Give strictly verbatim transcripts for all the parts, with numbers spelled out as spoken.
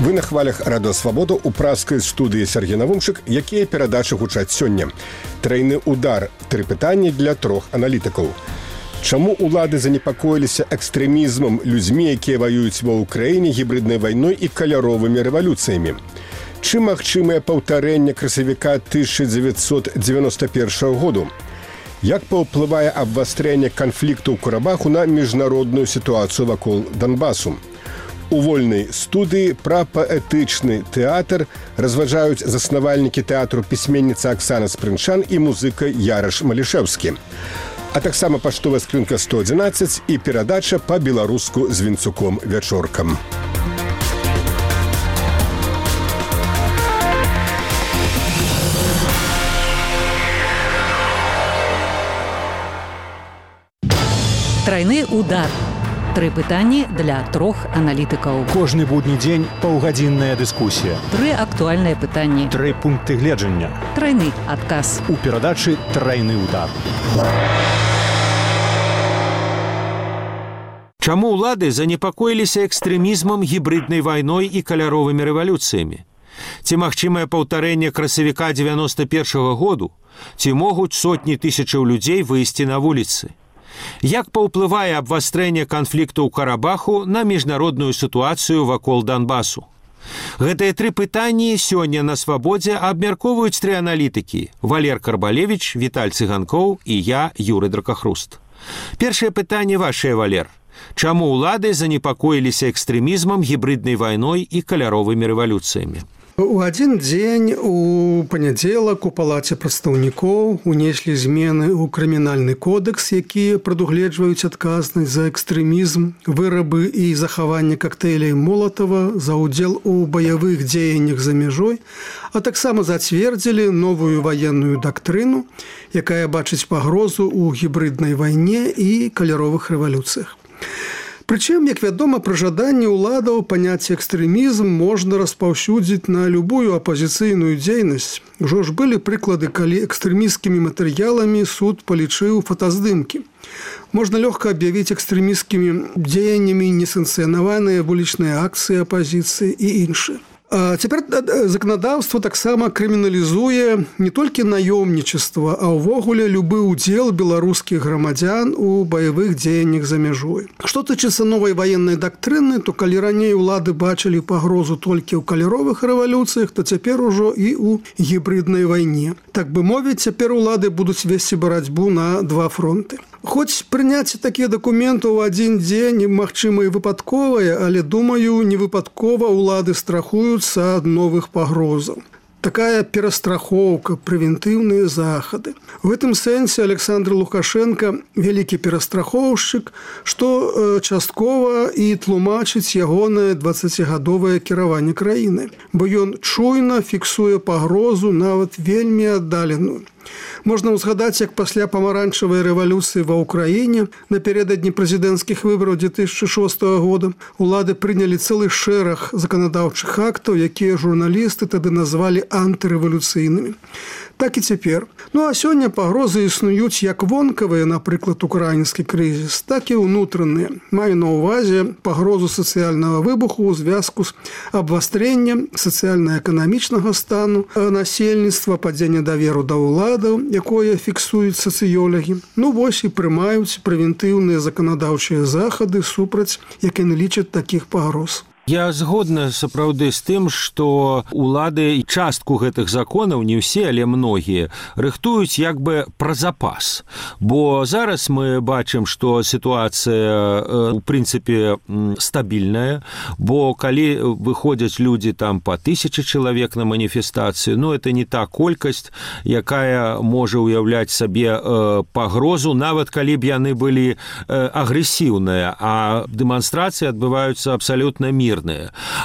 Вы на хвалях Радио Свабода у праскай студыі Сергей Навумчык, якія перадачы гучаць сёння. Трайны удар. Тры пытанні для трох аналітыкаў. Чаму улады занепакоіліся экстрэмізмам людзьмі, якія ваююць ва Ўкраіне гібриднай вайной і каляровымі рэвалюцыямі? Чым магчымае паўтарэнне красавіка тысяча дзевяцьсот дзевяноста першага году? Як паўплывае абвастрэнне канфлікту ў Карабаху на міжнародную сітуацыю вакол Донбасу? У вольнай студыі пра паэтычны тэатр разважаюць заснавальнікі тэатру пісьменніца Аксана Спрынчан і музыка Яраш Малішэўскі. А таксама паштовая скрынка сто адзінаццаць і перадача па-беларуску з Вінцуком вячоркам. Трайны удар. Тры пытанні для трох аналітыкаў. Кожны будні дзень паўгадзінная дыскусія. Тры актуальныя пытанні. Тры пункты гледжання. Трайны адказ. У перадачы «Трайны удар». Чаму ўлады занепакоіліся экстрэмізмам, гібриднай вайной і каляровымі рэвалюцыямі? Ці магчымае паўтарэнне красавіка дзевяноста першага году? Ці могуць сотні тысячаў людзей выйсці на вуліцы? Як паўплывае абвастрэнне канфлікту ў Карабаху на міжнародную сітуацыю вакол Донбасу? Гэтыя тры пытанні сёння на Свабодзе абмяркоўваюць тры аналітыкі: Валер Карбалевіч, Віталь Цыганкоў і я, Юры Дракахруст. Першае пытанне вашае, Валер. Чаму ўлады занепакоіліся экстрэмізмам, гібриднай вайной і каляровымі рэвалюцыямі? У адзін дзень у панядзелак у палаце прадстаўнікоў унеслі змены ў крымінальны кодэкс, якія прадугледжваюць адказнасць за экстрэмізм, вырабы і захаванне кактэйляў Молатава, за ўдзел у баявых дзеяннях за мяжой, а таксама зацвердзілі новую ваенную дактрыну, якая бачыць пагрозу ў гібриднай вайне і каляровых рэвалюцыях. Прычым, як вядома, пры жаданні ўладаў паняцце экстрэмізм можна распаўсюдзіць на любую апазіцыйную дзейнасць. Ужо ж былі прыклады, калі экстрэмісцкімі матэрыяламі суд палічыў фотаздымкі. Можна лёгка аб'явіць экстрэмісцкімі дзеяннямі несанкцыянаваныя вулічныя акцыі апазіцыі і іншыя. А цяпер заканадаўства таксама крыміналізуе не толькі наёмнічества, а ўвогуле любы ўдзел беларускіх грамадзян у баявых дзеяннях за мяжой. Што тычыцца новай ваеннай дактрыны, то калі раней улады бачылі пагрозу толькі ў каляровых рэвалюцыях, то цяпер ужо і ў гібриднай вайне. Так бы мовіць, цяпер улады будуць весці барацьбу на два фронты. Хоць прыняцце такія дакументы ў адзін дзень магчыма і выпадковае, але, думаю, не выпадкова улады страхуюцца ад новых пагрозаў. Такая перастрахоўка, прэвентыўныя захады. У гэтым сэнсе Александр Лукашенко вялікі перастрахоўшчык, што часткова і тлумачыць ягонае дваццацігадовае кіраванне краіны, бо ён чуйна фіксуе пагрозу, нават вельмі аддаленую. Можна ўзгадаць, як пасля памаранчавай рэвалюцыі ва Ўкраіне напярэдадні прэзідэнцкіх выбараў дзве тысячы шостага года улады прынялі цэлы шэраг заканадаўчых актаў, якія журналісты тады назвалі антырэвалюцыйнымі. Так і цяпер. Ну а сёння пагрозы існуюць як вонкавыя, напрыклад, украінскі крызіс, так і ўнутраныя. Маю на ўвазе пагрозу сацыяльнага выбуху ў звязку з абвастрэннем сацыяльна-эканамічнага стану насельніцтва, падзення даверу да ўладаў, якое фіксуюць сацыёлагі. Ну вось і прымаюць прэвентыўныя заканадаўчыя захады супраць, як яны лічаць, такіх пагроз. Я згодна сапраўды з тым, што улады і частку гэтых законаў, не ўсе, але многія, рыхтуюць як бы пра запас. Бо зараз мы бачым, што сітуацыя, у прынцыпе, стабільная, бо калі выходзяць людзі там па тысячы чалавек на маніфестацыю, ну, это не та колькасць, якая можа ўяўляць сабе пагрозу, нават калі б яны былі агрэсіўныя, а дэманстрацыі адбываюцца абсалютна мірна.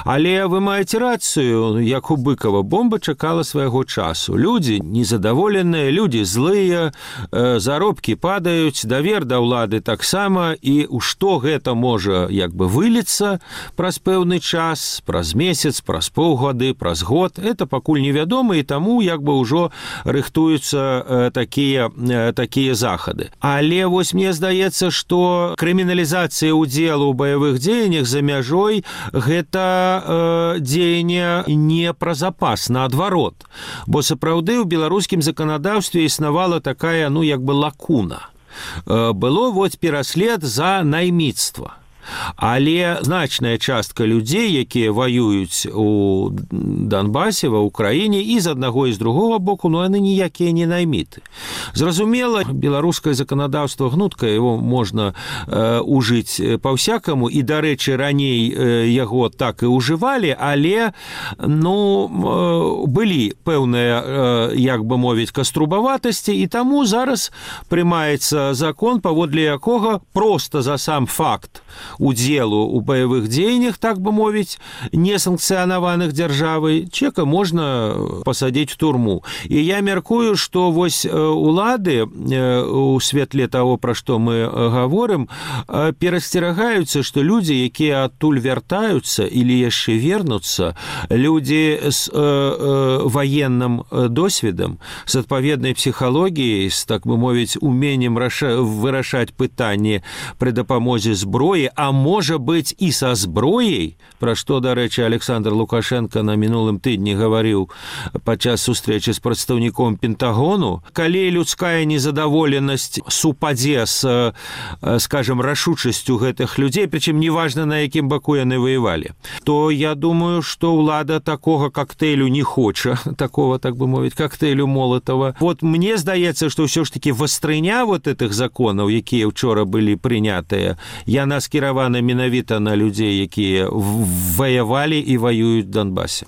Але вы маеце рацыю, як у Быкова, бомба чакала свайго часу. Людзі незадаволеныя, людзі злыя, заробкі падаюць, давер да ўлады таксама, і у што гэта можа як бы выліцца праз пэўны час, праз месяц, праз паўгады, праз год, это пакуль невядома, і таму як бы ўжо рыхтуюцца такія, такія захады. Але вось мне здаецца, што крыміналізацыя ўдзелу ў баявых дзеяннях за мяжой гэта э, дзеянне не пра запас, наадварот. Бо сапраўды ў беларускім заканадаўстве існавала такая, ну, як бы лакуна. Э, было вот пераслед за найміцтва. Але значная частка людзей, якія ваююць у Донбасе, ва ўкраіне, і з аднаго і з другога боку, ну, яны ніякія не найміты. Зразумела, беларускае заканадаўства гнуткае, его можна э, ужыць па-всякаму, і, дарэчы, раней э, яго так і ўжывалі, але, ну, э, былі пэўныя, э, як бы мовіць, каструбаватасці, і таму зараз прымаецца закон, паводле якога проста за сам факт удзелу у баявых дзеяннях, так бы мовіць, несанкцыянаваных дзяржавай, чека можна пасадзіць у турму. І я мяркую, што вось улады у светле таго, пра што мы гаворым, перасцерагаюцца, што людзі, якія адтуль вяртаюцца или яшчэ вернуцца, людзі з э, э, ваенным досведам, з адпаведнай псіхалогіяй, з, так бы мовіць, уменнем раша... вырашаць пытанні пры дапамозе зброі, а можа быць і са зброяй, пра што, дарэчы, Александр Лукашенко на мінулым тыдні гаварыў падчас сустрэчы з прадстаўніком Пентагону. Калі людская незадаволенасць супадзе з, скажем, рашучасцю гэтых людзей, прычым неважна, на якім баку яны ваявалі, то я думаю, што ўлада такога коктейлю не хоча, такого, так бы мовіць, коктейлю Молотова. Вот мне здаецца, што ўсё ж таки вастрыня вот этих законаў, якія ўчора былі прынятыя, яна скіравана менавіта на людзей, якія ваявалі і ваююць в Донбасе.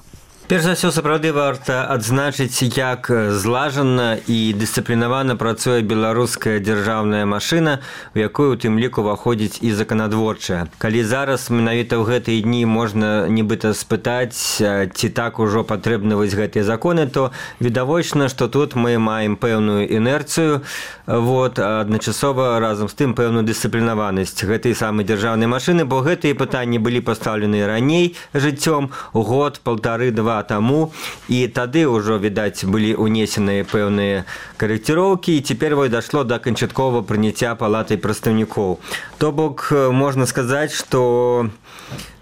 Перш за ўсё, сапраўды варта адзначыць, як злажана і дысцыплінавана працуе беларуская дзяржаўная машына, у якую у тым ліку ўваходзіць і заканадворчая. Калі зараз менавіта ў гэтыя дні можна нібыта спытаць, ці так ужо патрэбны вось гэтыя законы, то відавочна, што тут мы маем пэўную інерцыю, вот, адначасова разам з тым пэўную дысцыплінаванасць гэтай самай дзяржаўнай машыны, бо гэтыя пытанні былі пастаўлены раней жыццём, год, паўтары, два таму, і тады ўжо, відаць, былі унесеныя пэўныя карэкціроўкі, і цяпер вось дашло да канчатковага прыняцця палатай прадстаўнікоў. То бок, можна сказаць, што,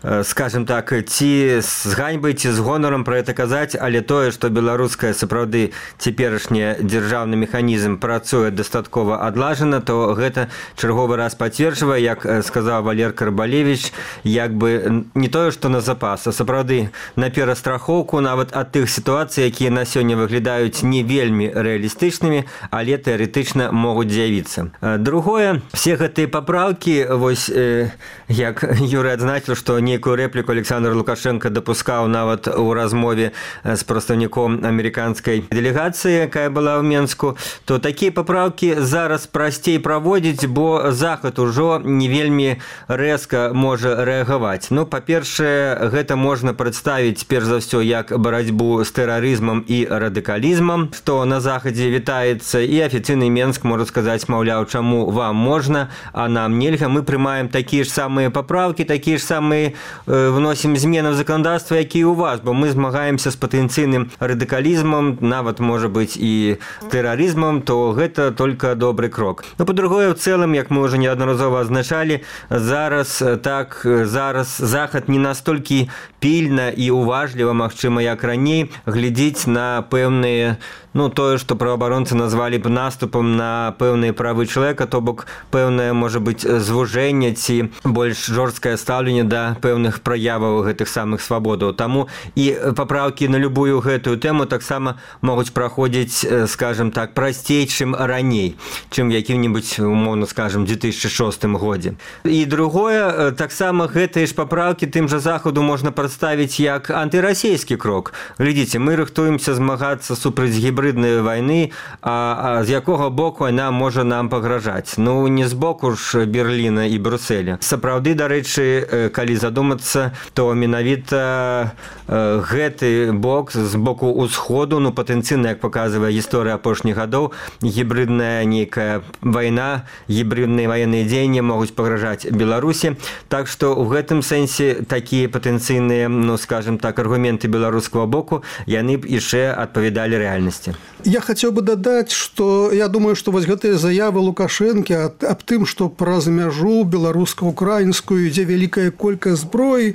скажем так, ці з ганьбай, ці з гонарам пра гэта казаць, але тое, што беларуская сапраўды цяперашні дзяржаўны механізм працуе дастаткова адлажана, то гэта чарговы раз пацверджвае, як сказаў Валер Карбалевіч, як бы не тое, што на запас, а сапраўды на перастрахоўку нават ад тых сітуацый, якія на сёння выглядаюць не вельмі рэалістычнымі, але тэарэтычна могуць з'явіцца. Другое, все гэтыя папраўкі, вось, э, як Юрый адзначыў, што нейкую рэпліку Александр Лукашенко дапускаў нават у размове з прадстаўніком амерыканскай дэлегацыі, якая была ў Менску, то такія папраўкі зараз прасцей праводзіць, бо Захад ужо не вельмі рэзка можа рэагаваць. Ну, па-першае, гэта можна прадставіць перш за ўсё як барацьбу з тэрарызмам і радыкалізмам, што на Захадзе вітаецца, і афіцыйны Менск можа сказаць, маўляў, чаму вам можна, а нам нельга, мы прымаем такія ж самыя папраўкі, такія ж самыя вносім змены в законодаўства, якія ў вас, бо мы змагаемся з патэнцыйным радыкалізмам, нават, можа быць, і тэрарызмам, то гэта толькі добры крок. Ну, па-другое, в цэлым, як мы ўжо неаднаразова азначалі, зараз так, зараз Захад не настолькі пільна і уважліва, магчыма, як раней, глядзіць на пэўныя, ну, тое, што праваабаронцы назвалі б наступам на пэўныя правы чалавека, то бок пэўнае, можа быць, звужэнне ці больш жорсткае стаўленне да пэўных праяваў гэтых самых свабодаў. Таму і папраўкі на любую гэтую тэму таксама могуць праходзіць, скажем так, прасцей, чым раней, чым якім-небудзь, умоўна скажем, две тысячи шостым годзе. І другое, таксама гэтыя ж папраўкі тым жа Захаду можна прадставіць як антырасійскі крок. Глядзіце, мы рыхтуемся змагацца супраць гібриднай вайны, а, а з якога боку яна можа нам пагражаць? Ну, не з боку ж Берліна і Брюсселя. Сапраўды, дарэчы, калі задумацца, то менавіта э, гэты бок з боку ўсходу, ну, патэнцыйна, як паказвае гісторыя апошніх гадоў, гібридная нейкая вайна, гібридныя ваенныя дзеянні могуць пагражаць Беларусі. Так што ў гэтым сэнсе такія патэнцыйныя палітычныя, ну скажем так, аргументы беларускага боку, яны б яшчэ адпавядалі рэальнасці. Я хацеў бы дадаць, што я думаю, што вось гэтыя заявы Лукашэнкі аб тым, што праз мяжу беларуска-украінскую ідзе вялікая колькасць зброі,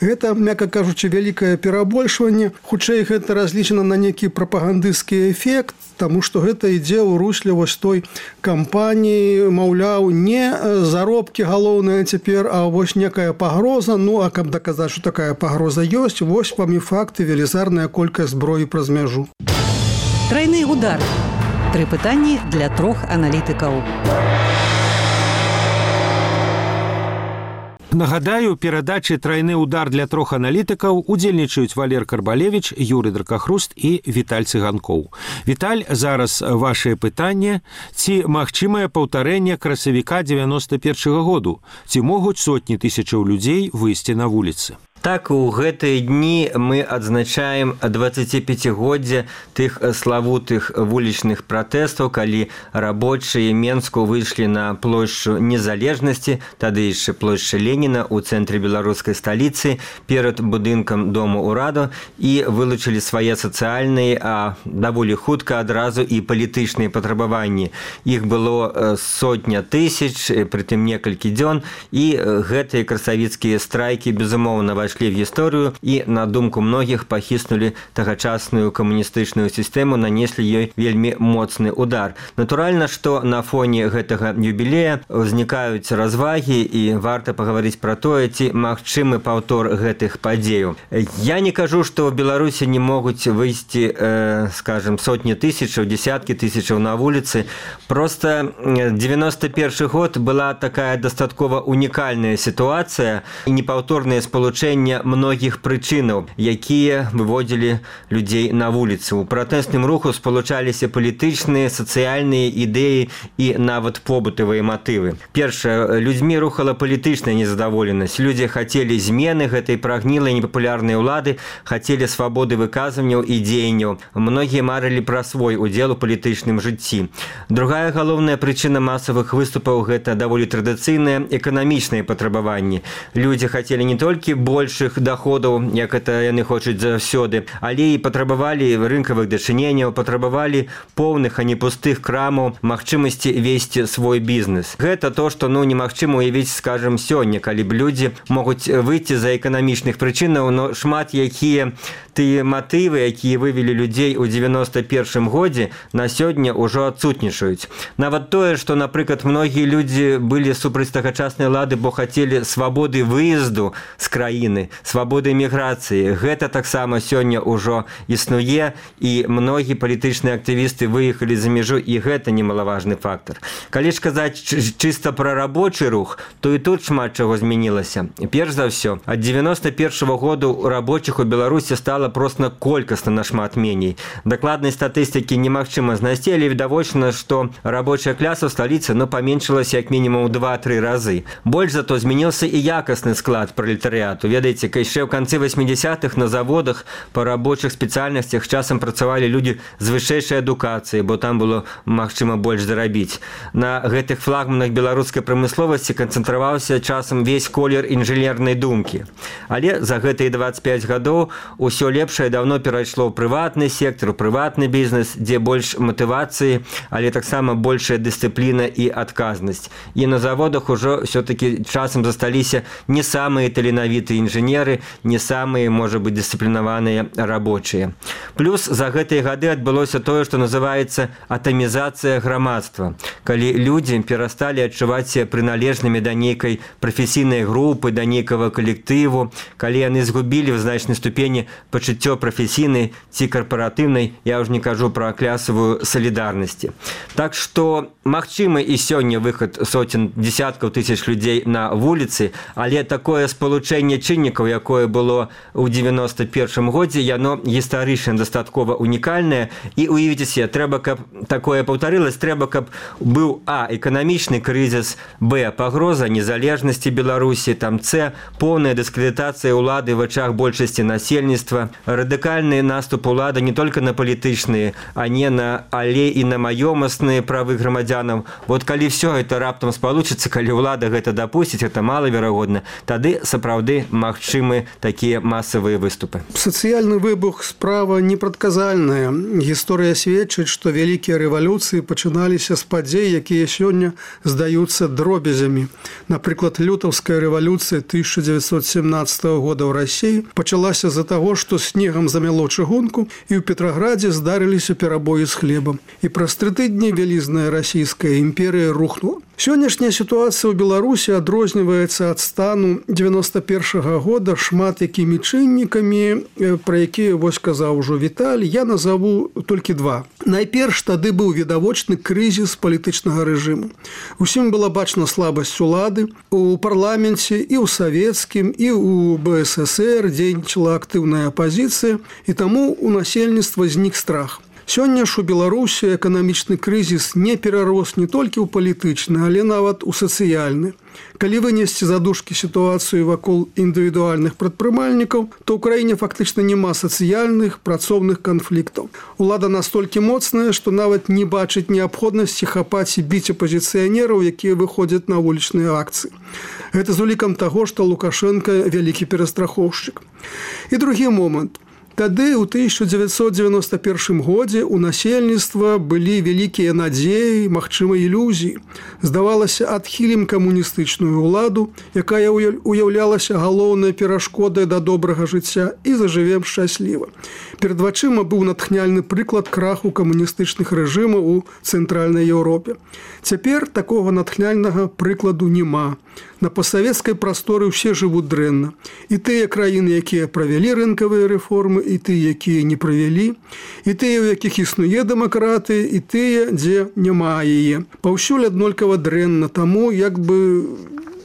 гэта, мякка кажучы, вялікае перабольшванне. Хутчэй гэта разлічана на нейкі прапагандысцкі эфект, таму што гэта ідзе ў русле вось той кампаніі, маўляў, не заробкі галоўныя цяпер, а вось некая пагроза. Ну, а каб даказаць, што такая пагроза ёсць, вось вам і факты, велізарная колькасць зброі праз мяжу. Трайны удар. Тры пытанні для трох аналітыкаў. Нагадаю, перадачы «Трайны удар» для трох аналітыкаў удзельнічаюць Валер Карбалевіч, Юрый Дракахруст і Віталь Цыганкоў. Віталь, зараз вашае пытанне. Ці магчымае паўтарэнне красавіка дзевяноста першага году? Ці могуць сотні тысячаў людзей выйсці на вуліцы? Так, у гэтыя дні мы адзначаем дваццаціпяцігоддзе тых славутых вулічных пратэстаў, калі рабочыя Менску выйшлі на плошчу Незалежнасці, тады яшчэ плошча Леніна ў цэнтры беларускай сталіцы перад будынкам Дому ўраду і вылучылі свае сацыяльныя, а даволі хутка адразу і палітычныя патрабаванні. Іх было сотня тысяч, прытым некалькі дзён, і гэтыя красавіцкія страйкі, безумоўна, вайшлі в гісторыю і, на думку многіх, пахіснулі тагачасную камуністычную сістэму, нанеслі ёй вельмі моцны удар. Натуральна, што на фоне гэтага юбілея ўзнікаюць развагі і варта пагаварыць пра тое, ці магчымы паўтор гэтых падзеяў. Я не кажу, што ў Беларусі не могуць выйсці, э, скажем, сотні тысячаў, десяткі тысячаў на вуліцы. Просто дзевяноста першы год была такая дастаткова унікальная сітуацыя і непаўторнае спалучэнне многіх прычынаў, якія выводзілі людзей на вуліцу. У пратэсным руху спалучаліся палітычныя, сацыяльныя ідэі і нават побытавыя матывы. Першае, людзьмі рухала палітычная незадаволенасць. Людзі хацелі змены гэтай прагнілай непапулярнай улады, хацелі свабоды выказванняў і дзеянняў. Многія марылі пра свой удзел у палітычным жыцці. Другая галоўная прычына масавых выступаў – гэта даволі традыцыйныя эканамічныя патрабаванні. Людзі хацелі не толькі больш доходаў, як это яны хочуць заўсёды, але і патрабавалі рынкавых дачыненняў, патрабавалі поўных, а не пустых крамаў, магчымасці весці свой бізнес. Гэта то, што ну немагчыма уявіць, скажем, сёння, калі б людзі могуць выйти за эканамічных прычынаў, но шмат якія тыя матывы, якія вывелі людзей у дзевяноста першым годзе, на сёння ўжо адсутнічаюць. Нават тое, што, напрыклад, многія людзі былі супраць тагачаснай улады, бо хацелі свабоды выезду з краіны, свабоды міграцыі. Гэта таксама сёння ўжо існуе, і многія палітычныя актывісты выехалі за мяжу, і гэта немалаважны фактар. Калі ж казаць чыста пра рабочы рух, то і тут шмат чаго змянілася. Перш за ўсё, ад дзевяноста першага году рабочых у Беларусі стала проста колькасна нашмат меней. Дакладнай статыстыкі немагчыма знайсці, але відавочна, што рабочая кляса ў сталіцы ну, паменшылася як мінімум два-тры разы. Больш зато змяніўся і якасны склад пралетарыяту. Ведаеце, яшчэ ў канцы восьмідзясятых на заводах па рабочых спецыяльнасцях часам працавалі людзі з вышэйшай адукацыяй, бо там было магчыма больш зарабіць. На гэтых флагманах беларускай прамысловасці канцэнтраваўся часам весь колер інжынернай думкі. Але за гэтыя дваццаць пяць гадоў усё лепшае даўно перайшло ў прыватны сектар, у прыватны бізнес, дзе больш матывацыі, але таксама большая дысцыпліна і адказнасць. І на заводах ужо ўсё-такі часам засталіся не самыя таленавітыя інжынеры, не самыя, можа быць, дысцыплінаваныя рабочыя. Плюс за гэтыя гады адбылося тое, што называецца атамізацыя грамадства. Калі людзі перасталі адчуваць себя прыналежнымі да нейкай прафесійнай групы, да нейкага калектыву, калі яны згубілі в значнай ступені пачуццё прафесійнай ці карпаратыўнай, я ўжо не кажу пра клясавую салідарнасці. Так што магчымы і сёння выхад сотен, десяткаў тысяч людзей на вуліцы, але такое спалучэнне чыннікаў, якое было ў дзевяноста першым годзе, яно гістарычна дастаткова унікальнае, і уявіце себе, трэба, каб такое паўтарылася, трэба, каб быў а. эканамічны крызіс, б. пагроза незалежнасці Беларусі, там С. поўная дыскрэдытацыя ўлады ў вачах большасці насельніцтва, радыкальны наступ улады не толькі на палітычныя, а не на але і на маёмасныя правы грамадзянаў. Вот калі все гэта раптам спалучыцца, калі ўлада гэта дапусціць, гэта малаверагодна, тады сапраўды магчыма магчымы такія масавыя выступы. Сацыяльны выбух справа непрадказальная. Гісторыя сведчыць, што вялікія рэвалюцыі пачыналіся з падзей, якія сёння здаюцца дробязямі. Напрыклад, лютаўская рэвалюцыя тысяча дзевятьсот семнадцатого года ў Расіі пачалася з-за таго, што снегам замяло чыгунку і ў Петраградзе здарыліся перабоі з хлебам. І праз тры тыдні вялізная расійская імперыя рухнула. Сённяшняя сітуацыя ў Беларусі адрозніваецца ад стану дзевяносто першага года шмат якімі чыннікамі, пра якія вось казаў ужо Віталь, я назову толькі два. Найперш тады быў відавочны крызіс палітычнага рэжыму. Усім была бачна слабасць улады. У парламенце і ў савецкім, і ў БССР дзейнічала актыўная апазіцыя, і таму у насельніцтва знік страх. Сёння ж у Беларусі эканамічны крызіс не перарос не толькі ў палітычны, але нават у сацыяльны. Калі вынесці задушкі сітуацыю вакол індывідуальных прадпрымальнікаў, то ў краіне фактычна няма сацыяльных, працоўных канфліктаў. Улада настолькі моцная, што нават не бачыць неабходнасці хапаць і біць апазіцыянераў, якія выходзяць на вулічныя акцыі. Гэта з улікам таго, што Лукашенко вялікі перастрахоўшчык. І другі момант. Тады ў тысяча дзевятьсот девяносто первым годзе у насельніцтва былі вялікія надзеі, магчыма, ілюзіі. Здавалася, адхілім камуністычную ўладу, якая уяўлялася галоўнай перашкодай да добрага жыцця, і зажывем шчасліва. Перад вачыма быў натхняльны прыклад краху камуністычных рэжымаў у Цэнтральнай Еўропе. Цяпер такога натхняльнага прыкладу няма. На пасавецкай прасторы ўсе жывуць дрэнна. І тыя краіны, якія правялі рынкавыя рэформы, і тыя, якія не правялі, і тыя, у якіх існуе дэмакратыя, і тыя, дзе няма яе. Паўсюль аднолькава дрэнна, таму як бы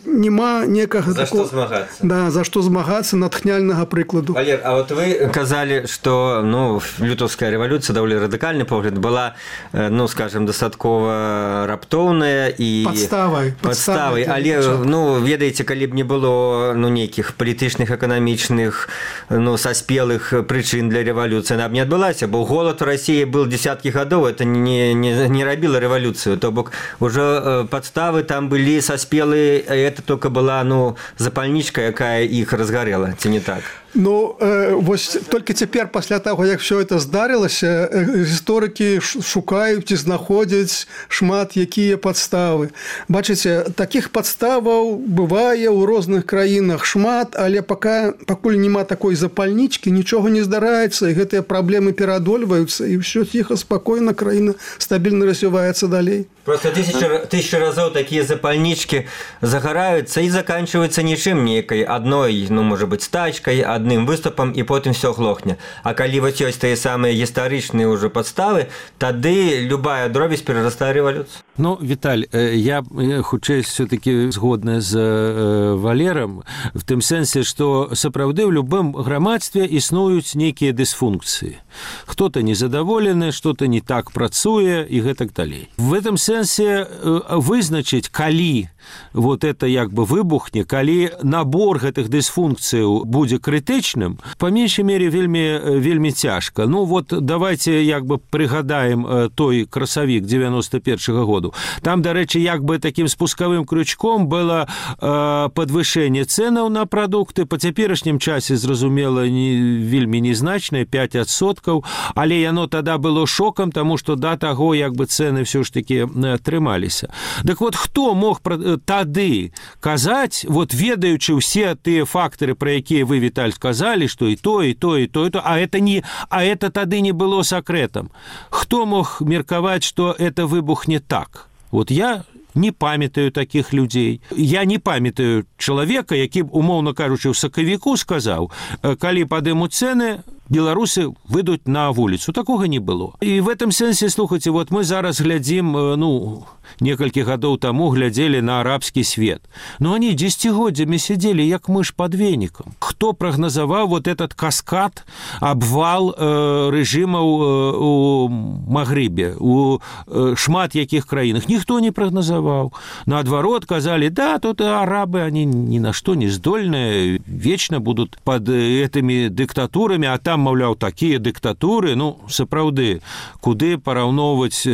няма некага за такого... што змагацца. Да, за што змагацца натхняльнага прыкладу. Валер, а вот вы казалі, што ну, лютаўская рэвалюцыя, даволі радыкальны погляд, была, ну, скажем, дастаткова раптоўная і Падставай. Падставай. Але, ну, ведаеце, калі б не было ну, нейкіх палітычных, эканамічных, ну, саспелых прычын для рэвалюцыі, она б не адбылася, бо голад у Расіі был десяткі гадоў, это не, не, не рабіла рэвалюцыю, то бок ужо падставы там былі саспелыя, это только была, ну, запальничка, якая іх разгарела, ці не так? Ну, э, вось толькі цяпер пасля таго, як все это здарылася, гісторыкі шукаюць і знаходзяць шмат якія падставы. Бачыце, такіх падставаў бывае ў розных краінах шмат, але пока, пакуль няма такой запальнічкі, нічога не здараецца, і гэтыя праблемы пераадольваюцца, і ўсё ціха, спакойна, краіна стабільна развіваецца далей. Просто тысяча, тысяча разоў такія запальнічкі загараюцца і заканчиваюцца нічым нейкай адной, ну, можа быць, стачкай, адным выступам, і потым все глохне. А калі вось ёсць тыя самыя гістарычныя ўжо падставы, тады любая дробязь перарастае рэвалюцыю. Ну, Віталь, я хутчэй все-таки згодна з Валерам в тым сэнсе, што сапраўды ў любым грамадстве існуюць нейкія дысфункцыі. Хто-то незадаволены, што-то не так працуе і гэтак далей. В этом сэнсе вызначыць, калі вот это як бы выбухне, калі набор гэтых дысфункцыяў будзе крытычным, па меншай мере вельмі, вельмі цяжка. Ну вот давайте як бы прыгадаем той красавік девяносто первого году. Там, дарэчы, як бы таким спускавым крючком было э, падвышэнне цэнаў на прадукты. Па цяперашнім часе, зразумела, не, вельмі незначнае, пять адсоткаў, але яно тада было шокам, таму што да таго як бы цэны ўсё ж такі трымаліся. Так вот, хто мог тады казаць, вот ведаючы ўсе тыя фактары, пра якія вы, Віталь, сказалі, што і то, і то, і то, і то, а это, не, а это тады не было сакрэтам. Хто мог меркаваць, што это выбухне так? Вот я не памятаю такіх людзей. Я не памятаю чалавека, які б, умоўна кажучы, ў сакавіку сказаў, калі падымуць цэны, беларусы выйдуць на вуліцу. Такога не было. І в этом сэнсе, слухайце, вот мы зараз глядзім, ну, некалькі гадоў таму глядзелі на арабскі свет. Но они дзесяцігоддзямі сидели як мыш под веником. Хто прагназаваў вот этот каскад, абвал э, рэжымаў э, у Магрыбе, у э, шмат якіх краінах? Ніхто не прагназаваў. Наадварот, казалі, да, тут арабы, они ни на что не здольныя, вечно будут под этими диктатурами, а там, маўляў, такія дыктатуры, ну, сапраўды, куды параўноўваць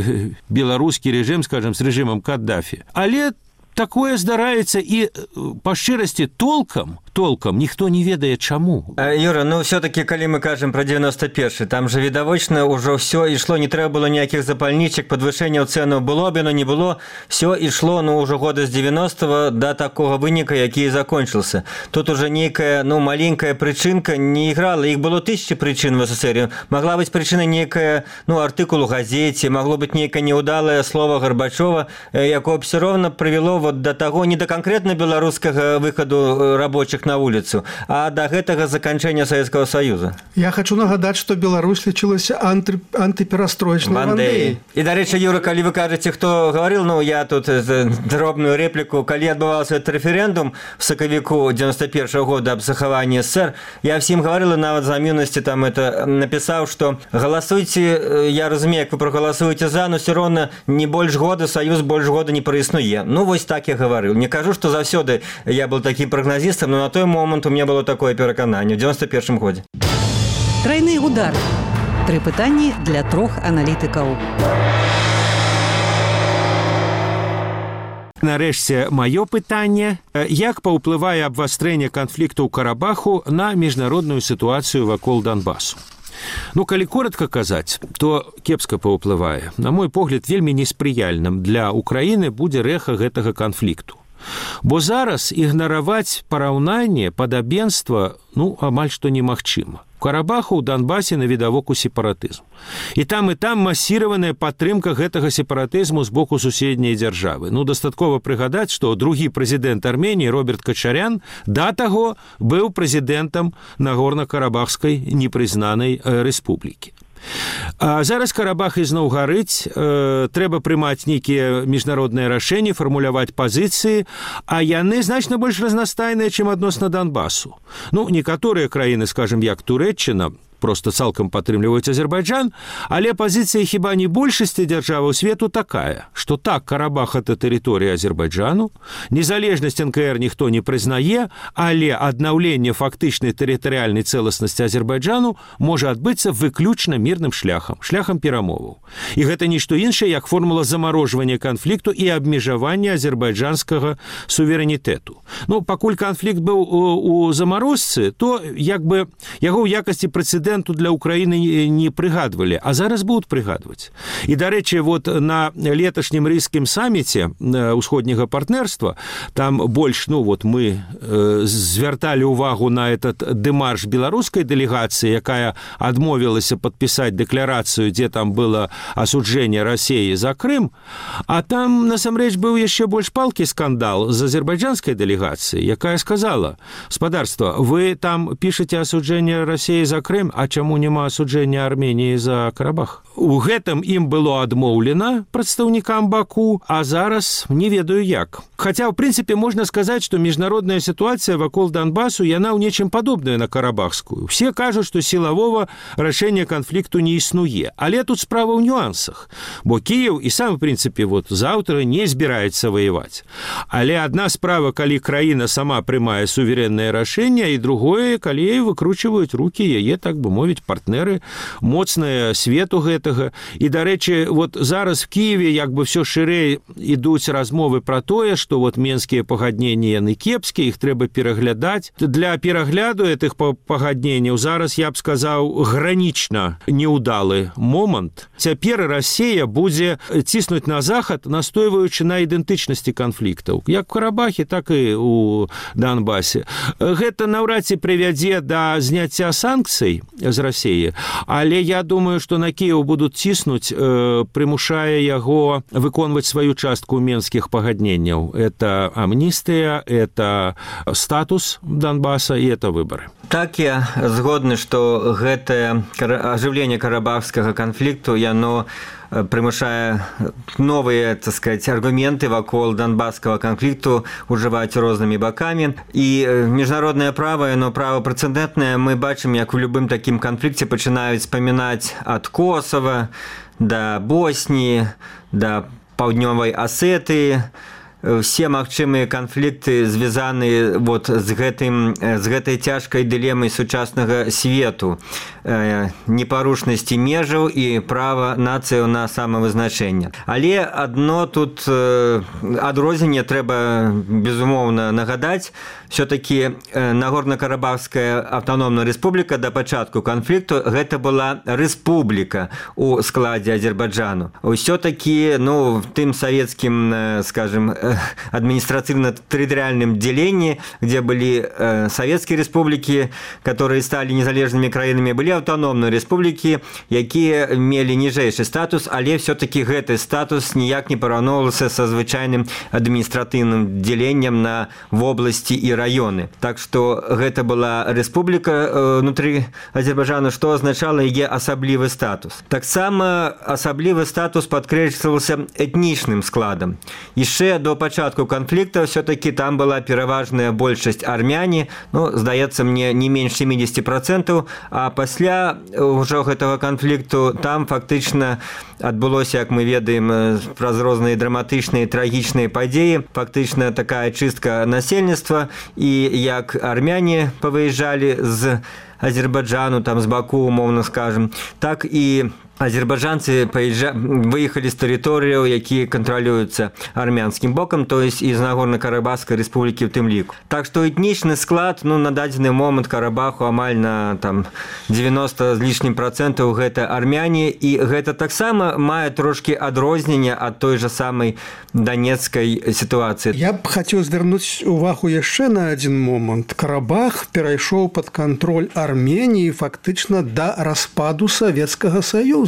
беларускі рэжым, скажем, з рэжымам Каддафі. Але такое здараецца і па шчырасці толкам толкам ніхто не ведае чаму. Юра, ну все-таки калі мы кажам про девяносто першы, там же відавочна ўжо все ішло, не трэба было ніякіх запальнічак, падвышэнняў цэнаў было б, но не было, все ішло ну ўжо года з девяностого до такого выніка, які і закончился. Тут уже нейкая ну маленькая прычынка не іграла, іх было тысячи прычын в СССР. Могла быць прычына нейкая ну артыкул у газете, могло быць нейкае неудалае слово Горбачова, якое все ровно прывяло вот до того, не до конкретно беларускага выхаду рабочих на улицу, а до гэтага заканчэння Советского Союза. Я хочу нагадаць, што Беларусь лічылася анты, антыперастроечнай Вандеяй. І, дарэчы, Юра, калі вы кажаце, хто гаварыў, ну, я тут дробную реплику, калі адбываўся этот рэферэндум в сакавіку девяносто першего года аб захаванні СССР, я всім гаварыла, нават за міўнасці там это напісаў, што галасуйце, я разумею, як вы прагаласуеце за, но все роўна не больш года, Саюз больш года не праіснуе. Ну, вось так я гаварыў. Не кажу, што заўсёды я был таким прогнозистом, но на той момент у меня было такое перакананне в девяносто першым годзе. Трайны удар. Тры пытанні для трох аналітыкаў. Нарэшце, маё пытанне. Як паўплывае абвастрэнне канфлікту ў Карабаху на міжнародную сітуацыю вакол Донбасу? Ну, калі коротко казаць, то кепска паўплывае. На мой погляд, вельмі неспрыяльным для Украіны будзе рэха гэтага канфлікту. Бо зараз ігнараваць параўнанне, падабенства, ну, амаль што немагчыма. У Карабаху, у Донбасе навідавоку сепаратызм. І там, і там масіраваная падтрымка гэтага сепаратызму з боку суседняй дзяржавы. Ну, дастаткова прыгадаць, што другі прэзідэнт Арменіі Роберт Качарян да таго быў прэзідэнтам Нагорна-Карабахскай непрызнанай рэспублікі. А зараз Карабах ізноў гарыць, э, трэба прымаць нейкія міжнародныя рашэнні, фармуляваць пазіцыі, а яны значна больш разнастайныя, чым адносна Донбасу. Ну, некаторыя краіны, скажем, як Турэччына, просто цалкам падтрымліваюць Азербайджан, але пазіцыя хіба не большасці дзяржаваў свету такая, што так, Карабах – это тэрыторыя Азербайджану, незалежнасць эн ка эр ніхто не прызнае, але аднаўленне фактычнай тэрытарыяльнай цэласнасці Азербайджану можа адбыцца выключна мірным шляхам, шляхам перамоваў. І гэта нішто іншае, як формула замарожвання канфлікту і абмежавання азербайджанскага суверэнітэту. Ну, пакуль канфлікт быў у, у замарозцы, то як бы яго ў якасці прэцэдэнту для Украины не прыгадвалі, а зараз будуць прыгадваць. І, дарэчы, вот на леташнім рыйскім саміце ўсходняга партнерства, там больш, ну вот мы э, звярталі ўвагу на этот дэмарш беларускай дэлегацыі, якая адмовілася падпісаць дэкларацыю, дзе там было асуджэнне Расіі за Крым, а там, насамрэч, быў яшчэ больш палкі скандал з азербайджанскай дэлегацыі, якая сказала: «Спадарства, вы там пішаце асуджэнне Расіі за Крым, а чаму няма асуджэння Арменіі за Карабах?» У гэтым ім было адмоўлена прадстаўнікам Баку, а зараз не ведаю як. Хаця, ў прынцыпе, можна сказаць, што міжнародная сітуацыя вакол Донбасу, яна ў нечым падобная на карабахскую. Все кажуць, што сілавога рашэння канфлікту не існуе. Але тут справа ў нюансах. Бо Кіеў і сам, у прынцыпе, вот, заўтра не збіраецца ваяваць. Але адна справа, калі краіна сама прымае суверэннае рашэнне, і другое, калі яе выкручваюць рукі яе, так бы мовіць, партнеры, моцныя свету гэтага. І, дарэчы, вот зараз в Киеве як бы все шырэй ідуць размовы пра тое, што вот менскія пагадненні яны кепскія, іх трэба пераглядаць. Для перагляду гэтых пагадненняў зараз, я б сказаў, гранічна неўдалы момант. Цяпер Расія будзе ціснуць на захад, настойваючы на ідэнтычнасці канфліктаў, як у Карабахе, так і у Донбасе. Гэта наўрад ці прывядзе да зняцця санкцый з Расіі, але я думаю, што на Кіеў будуць ціснуць, э, прымушае яго выконваць сваю частку менскіх пагадненняў. Это амністыя, это статус Донбаса і это выборы. Так, я згодны, што гэтае ажыўленне карабахскага канфлікту, яно прымушае новыя, так сказать, аргументы вакол донбасскага канфлікту ужываць рознымі бакамі. І міжнароднае права, яно права прэцэдэнтнае, мы бачым, як у любым такім канфлікце пачынаюць спамінаць ад Косова да Босніі, да паўднёвай Асетыі. все магчымыя канфлікты звязаны вот з гэтым з гэтай цяжкай дылемай сучаснага свету, непарушнасці межаў і права нацыяў на самавызначэнне. Але адно тут адрозненне трэба безумоўна нагадаць. Все-таки Нагорно-Карабахская автономная республика до пачатку канфлікту гэта была республика у складзе Азербайджану. Все-таки, ну, в тым советским, скажем, административно-территориальном делении, где были советские республики, которые стали незалежными краінамі, были автономные республики, якія мелі ніжэйшы статус, але все-таки гэты статус ніяк не параўноўваўся са звычайным адміністратыўным деленнем на вобласці і районы. Так что гэта была республика внутри Азербайджана, что означало яе асаблівы статус. Таксама асаблівы статус падкрэсліваўся этнічным складам. Яшчэ до пачатку канфлікта все-таки там была пераважная большасць армяне, ну, здаецца мне, не менш семьдесят процентов, а пасля ўжо гэтага канфлікту там фактычна адбылося, як мы ведаем, праз розныя драматычныя, трагічныя падзеі, фактычна такая чыстка насельніцтва, і як армяне павыязджалі з Азербайджану, там з Баку, умоўна скажем, так і азербайджанцы выехали з тэрыторыяў, якія кантралююцца армянскім бокам, то есть из Нагорно-Карабахской республики в тым ліку. Так что этнічны склад, ну, на дадзены момант Карабаху амаль на там девяносто з лішнім процентаў гэта армяне, і гэта таксама мае трошки адрознення ад той же самой донецкай ситуации. Я б хацеў звярнуць увагу яшчэ на один момант. Карабах перайшоў под контроль Армении фактычна да распаду Советскага Союза.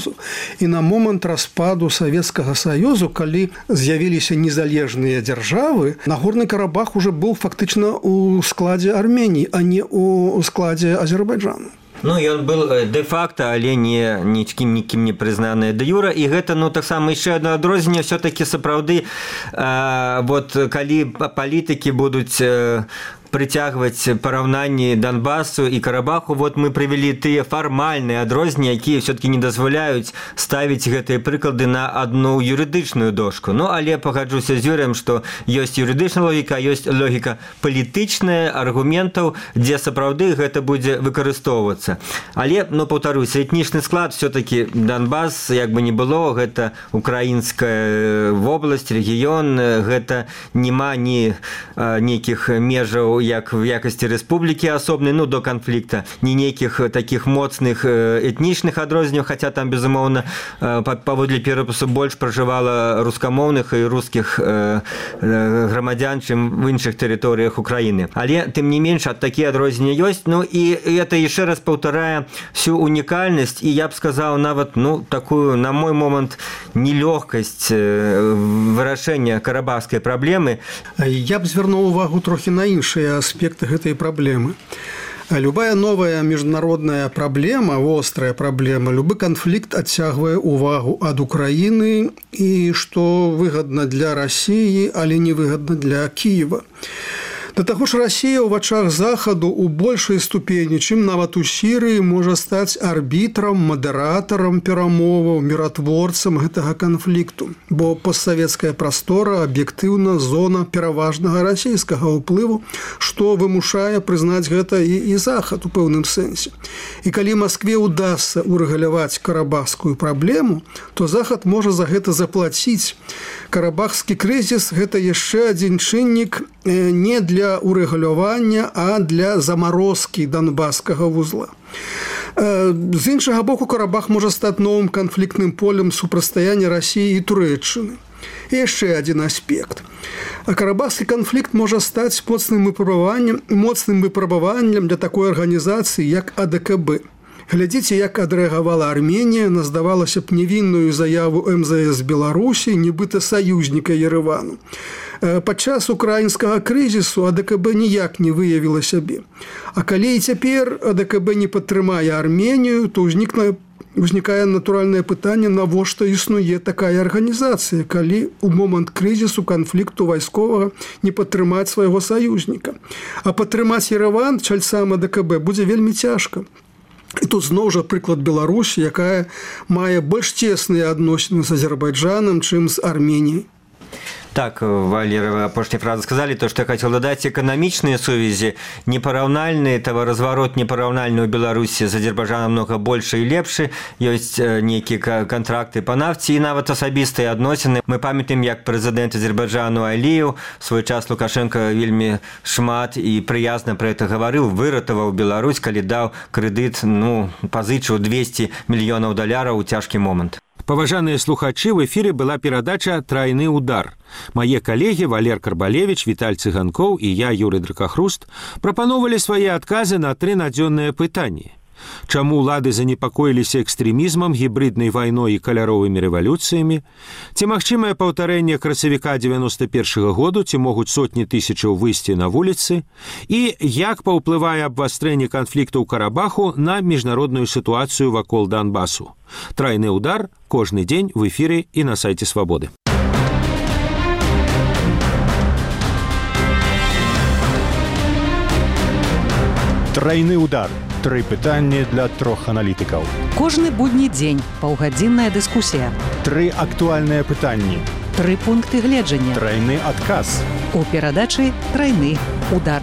І на момант распаду Советскага Союзу, калі з'явіліся незалежныя дзяржавы, Нагорны Карабах уже быў фактычна у складзе Армении, а не у складзе Азербайджану. Ну, ён был де-факто, але не нічкім нікім не прызнаны де-юра, і гэта, ну, таксама яшчэ одно адрозненне, все-таки сапраўды, э, вот калі палітыкі будуць э, притягивать параўнанні Донбассу и Карабаху, вот мы привели тыя фармальныя адрозненні, якія все-таки не дазваляюць ставіць гэтыя прыклады на одну юрыдычную дошку. Ну, але пагаджуся з Юрыем, што ёсць юрыдычная логіка, ёсць логіка палітычная, аргументаў, дзе сапраўды гэта будзе выкарыстоўвацца. Але, ну, паўтаруся, этнічны склад все-таки Донбасс, як бы не было, гэта украінская вобласць, рэгіён, гэта нема ні нейкіх межаў як в якасці рэспублікі асобнай, ну, до канфлікта, ні нейкіх таких моцных этнічных адрозненняў, хаця там, безумоўна, паводле перапісу больш пражывала рускамоўных і рускіх грамадзян, чым в іншых тэрыторыях Украіны. Але, тым не менш, такія адрозненні ёсць, ну, і это яшчэ раз паўтарае всю унікальнасць, і я б сказаў нават, ну, такую, на мой момант, нелёгкасць вырашэння карабахскай праблемы. Я б звярнуў увагу трохі на іншыя аспекты гэтай праблемы. Любая новая международная проблема, острая проблема, любы конфликт адцягвае увагу ад Украины, и что выгодно для России, але не выгодно для Киева. Да таго ж Россия ў вачах Захаду у большай ступені, чым нават у Сірыі, можа стаць арбітрам, мадэратарам перамоваў, міратворцам гэтага канфлікту, бо постсавецкая прастора аб'ектыўна зона пераважнага расійскага ўплыву, што вымушае прызнаць гэта і, і Захад у пэўным сэнсе. І калі Маскве ўдасца урэгуляваць карабахскую праблему, то Захад можа за гэта заплаціць. Карабахскі крызіс – гэта яшчэ адзін чыннік не для урэгулявання, а для замарозкі донбасскага вузла. З іншага боку, Карабах можа стаць новым канфліктным полем супрацьстаяння Расіі і Турэччыны. І яшчэ адзін аспект. Карабахскі канфлікт можа стаць моцным выпрабаваннем, моцным выпрабаваннем для такой арганізацыі, як А Дэ Ка Бэ. Глядзіце, як адрэагавала Арменія на, здавалася б, невінную заяву Эм Зэ Эс Беларусі, нібыта саюзніка Ерэвану. Падчас украінскага крызісу А Дэ Ка Бэ ніяк не выявіла сябе. А калі і цяпер А Дэ Ка Бэ не падтрымае Арменію, то ўзнікне Узнікае натуральнае пытанне, навошта існуе такая арганізацыя, калі ў момант крызісу, канфлікту вайсковага не падтрымаць свайго саюзніка. А падтрымаць Ерэван чальцам А Дэ Ка Бэ будзе вельмі цяжка. І тут зноў жа прыклад Беларусі, якая мае больш цесныя адносіны з Азербайджанам, чым з Арменіяй. Так, Валерия, вы апошняй фразы сказали, то, что я хотел додать, экономичные сувязі непараўнальныя, таваразварот непараўнальны ў Беларусі з Азербайджаном много больше и лепшы, ёсць нейкія контракты по нафці і нават асабістыя адносіны. Мы памятаем, як прэзідэнт Азербайджану Аліев свой час Лукашенко вельмі шмат і прыязна про это гаварыў, выратаваў Беларусь, калі даў крэдыт, ну, пазычыў двести мільёнаў даляраў у цяжкі момант. Паважаныя слухачы, в эфире была перадача «Трайны удар». Мае калегі Валер Карбалевич, Віталь Цыганкоў і я, Юрый Дракахруст, прапановалі свае адказы на тры надзённыя пытанні. Чаму ўлады занепакоіліся экстрэмізмам, гібриднай вайной і каляровымі рэвалюцыямі? Ці магчымае паўтарэнне красавіка дзевяноста першага году, ці могуць сотні тысячаў выйсці на вуліцы? І як паўплывае абвастрэнне канфлікту ў Карабаху на міжнародную сітуацыю вакол Донбасу? Трайны удар кожны дзень в эфіры і на сайце Свабоды. Трайны удар. Тры пытанні для трох аналітыкаў. Кожны будні дзень паўгадзінная дыскусія. Тры актуальныя пытанні. Тры пункты гледжання. Трайны адказ. У перадачы «Трайны удар».